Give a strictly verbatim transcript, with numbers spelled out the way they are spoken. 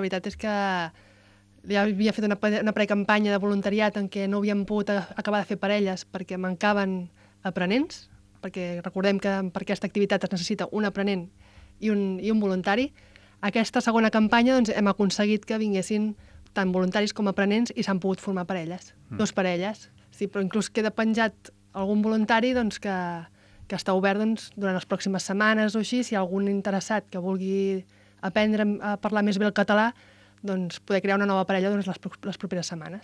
La veritat és que ja havia fet una, una precampanya de voluntariat en què no havíem pogut acabar de fer parelles perquè mancaven aprenents, perquè recordem que per aquesta activitat es necessita un aprenent i un, i un voluntari. Aquesta segona campanya doncs, hem aconseguit que vinguessin tant voluntaris com aprenents i s'han pogut formar parelles, mm. dos parelles. Sí, però inclús queda penjat algun voluntari doncs, que, que està obert doncs, durant les pròximes setmanes o així, si hi ha algun interessat que vulgui aprendre a parlar més bé el català, doncs poder crear una nova parella doncs, les, les properes setmanes.